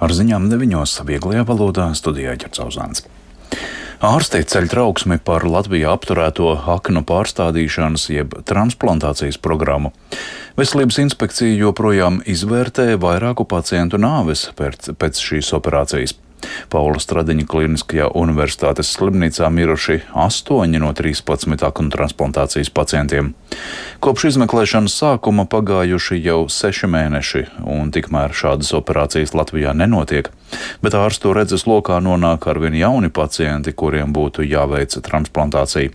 Ar ziņām 9. vieglajā valodā studijā Ķercauzāns. Ārsti ceļ trauksmi par Latvijā apturēto aknu pārstādīšanas jeb transplantācijas programmu. Veselības inspekcija joprojām izvērtē vairāku pacientu nāves pēc šīs operācijas. Paula Stradiņa Kliniskajā universitātes slimnīcā miruši 8 no 13 aknu transplantācijas pacientiem. Kopš izmeklēšanas sākuma pagājuši jau 6 mēneši, un tikmēr šādas operācijas Latvijā nenotiek. Bet ārstu redzes lokā nonāk arvien jauni pacienti, kuriem būtu jāveic transplantācija.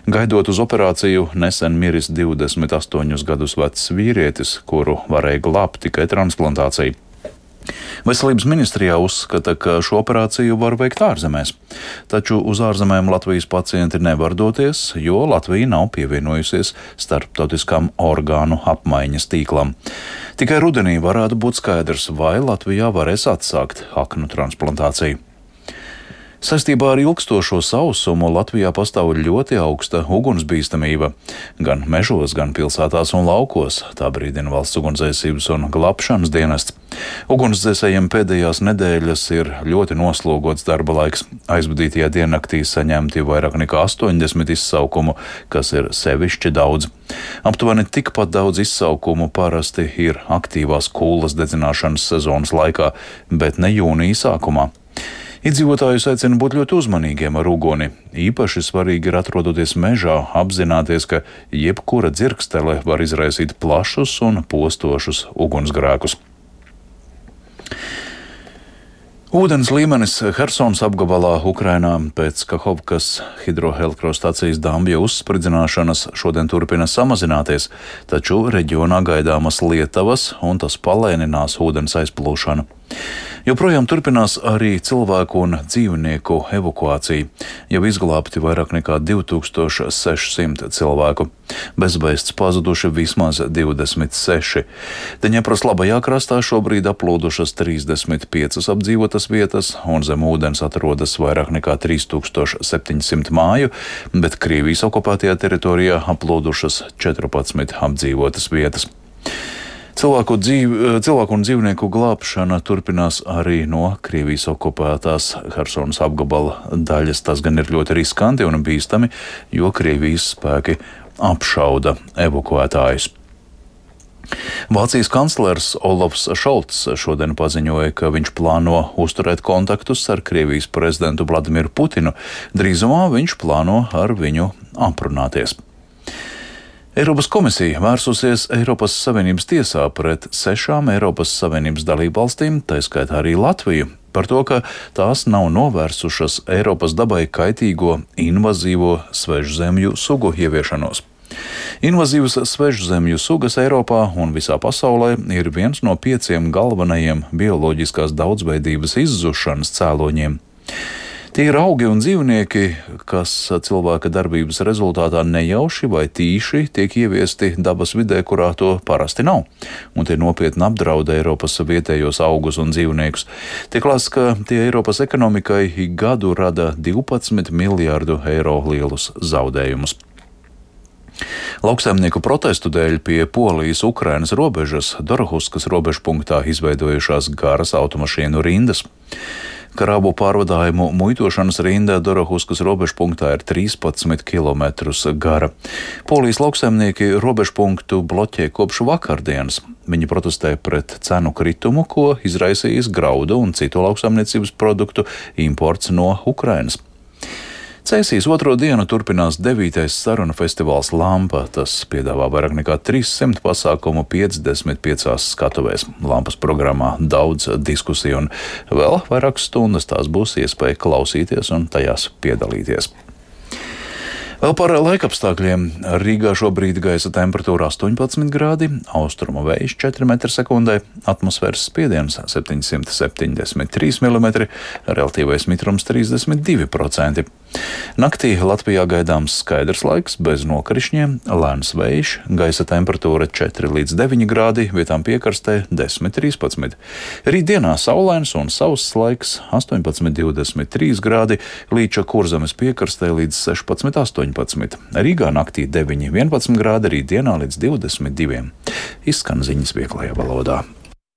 Gaidot uz operāciju, nesen miris 28 gadus vecs vīrietis, kuru varēja glābt tikai transplantācija. Veselības ministrijā uzskata, ka šo operāciju var veikt ārzemēs, taču uz ārzemēm Latvijas pacienti nevar doties, jo Latvija nav pievienojusies starptautiskām orgānu apmaiņas tīklam. Tikai rudenī varētu būt skaidrs, vai Latvijā varēs atsākt aknu transplantāciju. Saistībā ar ilgstošo sausumu Latvijā pastāv ļoti augsta ugunsbīstamība. Gan mežos, gan pilsētās un laukos, tā brīdina Valsts ugunsdzēsības un glābšanas dienests. Ugunsdzēsējiem pēdējās nedēļas ir ļoti noslogots darba laiks. Aizvadītajā diennaktī saņemti vairāk nekā 80 izsaukumu, kas ir sevišķi daudz. Aptuveni tikpat daudz izsaukumu parasti ir aktīvās kūlas dedzināšanas sezonas laikā, bet ne jūnija sākumā. Iedzīvotājus aicina būt ļoti uzmanīgiem ar uguni. Īpaši svarīgi ir atrodoties mežā, apzināties, ka jebkura dzirkstele var izraisīt plašus un postošus ugunsgrēkus. Ūdens līmenis Hersonas apgabalā Ukrainā pēc Kahovkas hidroelektrostacijas dambja uzspridzināšanas šodien turpina samazināties, taču reģionā gaidāmas lietavas un tas palēninās ūdens aizplūšanu. Joprojām turpinās arī cilvēku un dzīvnieku evakuācija. Jau izglābti vairāk nekā 2600 cilvēku. Bezvēsts pazuduši vismaz 26. Deņepras labajā krastā šobrīd aplūdušas 35 apdzīvotas vietas, un zem ūdens atrodas vairāk nekā 3700 māju, bet Krievijas okupētajā teritorijā aplūdušas 14 apdzīvotas vietas. Cilvēku un dzīvnieku glābšana turpinās arī no Krievijas okupētās Hersonas apgabala daļas. Tas gan ir ļoti riskanti un bīstami, jo Krievijas spēki apšauda evakuētājus. Vācijas kanclers Olafs Šolts šodien paziņoja, ka viņš plāno uzturēt kontaktus ar Krievijas prezidentu Vladimiru Putinu. Drīzumā viņš plāno ar viņu aprunāties. Eiropas komisija vērsusies Eiropas Savienības tiesā pret 6 Eiropas Savienības dalībvalstīm, tā skaitā arī Latviju, par to, ka tās nav novērsušas Eiropas dabai kaitīgo invazīvo svežzemju sugu ieviešanos. Invazīvas svežzemju sugas Eiropā un visā pasaulē ir viens no 5 galvenajiem bioloģiskās daudzveidības izzušanas cēloņiem. Tie ir augi un dzīvnieki, kas cilvēka darbības rezultātā nejauši vai tīši tiek ieviesti dabas vidē, kurā to parasti nav, un tie nopietni apdraud Eiropas vietējos augus un dzīvniekus. Tiek lēsts, ka tie Eiropas ekonomikai ik gadu rada 12 miljārdu eiro lielus zaudējumus. Lauksaimnieku protestu dēļ pie Polijas-Ukrainas robežas Dorohuskas robežpunktā izveidojušās garas automašīnu rindas. Krāvu pārvadājumu muitošanas rinda Dorohuskas robežpunktā ir 13 km gara. Polijas lauksaimnieki robežpunktu bloķē kopš vakardienas. Viņi protestē pret cenu kritumu, ko izraisījis graudu un citu lauksaimniecības produktu imports no Ukrainas. Cēsīs otro dienu turpinās 9. sarunu festivāls Lampa. Tas piedāvā vairāk nekā 300 pasākumu 55 skatuvēs. Lampas programmā daudz diskusiju un vēl vairākas stundas tās būs iespēja klausīties un tajās piedalīties. Vēl par laikapstākļiem. Rīgā šobrīd gaisa temperatūra 18 grādi, austrumu vējš 4 m/sekundē, atmosfēras spiediens 773 mm, relatīvais mitrums 32%. Naktī Latvijā gaidāms skaidrs laiks, bez nokrišņiem, lēns vējš, gaisa temperatūra 4 līdz 9 grādi, vietām piekarstē 10–13. Rītdienā saulains un sauss laiks 18–23 grādi, Līča Kurzemes piekarstē līdz 16–18. Rīgā naktī 9–11 grādi, rītdienā līdz 22. Izskan ziņas vieglajā valodā.